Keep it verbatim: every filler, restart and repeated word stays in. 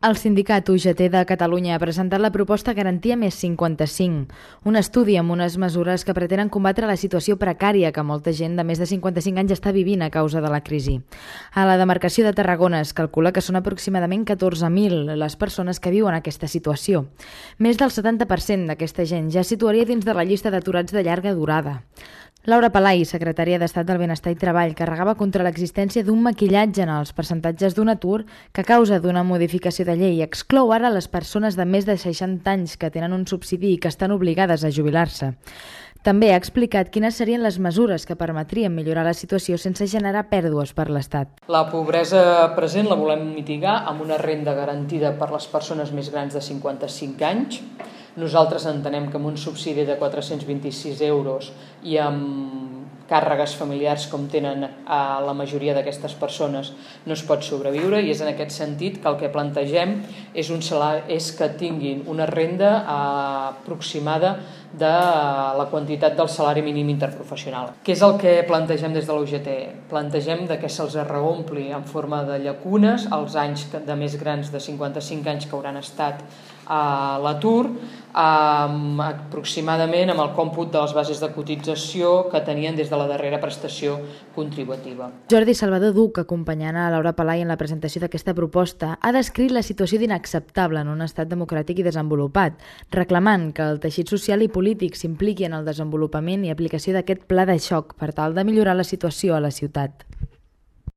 El sindicat U G T de Catalunya ha presentat la proposta Garantia més cinquanta-cinc, un estudi amb unes mesures que pretenen combatre la situació precària que molta gent de més de cinquanta-cinc anys està vivint a causa de la crisi. A la demarcació de Tarragona es calcula que són aproximadament catorze mil les persones que viuen aquesta situació. Més del setanta per cent d'aquesta gent ja es situaria dins de la llista d'aturats de llarga durada. Laura Palai, secretària d'Estat del Benestar i Treball, carregava contra l'existència d'un maquillatge en els percentatges d'un atur que a causa d'una modificació de llei exclou ara les persones de més de seixanta anys que tenen un subsidi i que estan obligades a jubilar-se. També ha explicat quines serien les mesures que permetrien millorar la situació sense generar pèrdues per l'Estat. La pobresa present la volem mitigar amb una renda garantida per les persones més grans de cinquanta-cinc anys. Nosaltres entenem que amb un subsidi de quatre-cents vint-i-sis euros i amb càrregues familiars com tenen a la majoria d'aquestes persones no es pot sobreviure, i és en aquest sentit que el que plantegem és, un salari, és que tinguin una renda aproximada de la quantitat del salari mínim interprofessional. Què és el que plantegem des de l'U G T? Plantegem que se'ls reompli en forma de llacunes els anys de més grans de cinquanta-cinc anys que hauran estat a l'atur, um, aproximadament amb el còmput de les bases de cotització que tenien des de la darrera prestació contributiva. Jordi Salvador Duc, acompanyant a Laura Palai en la presentació d'aquesta proposta, ha descrit la situació d'inacceptable en un estat democràtic i desenvolupat, reclamant que el teixit social i polític s'impliqui en el desenvolupament i aplicació d'aquest pla de xoc per tal de millorar la situació a la ciutat.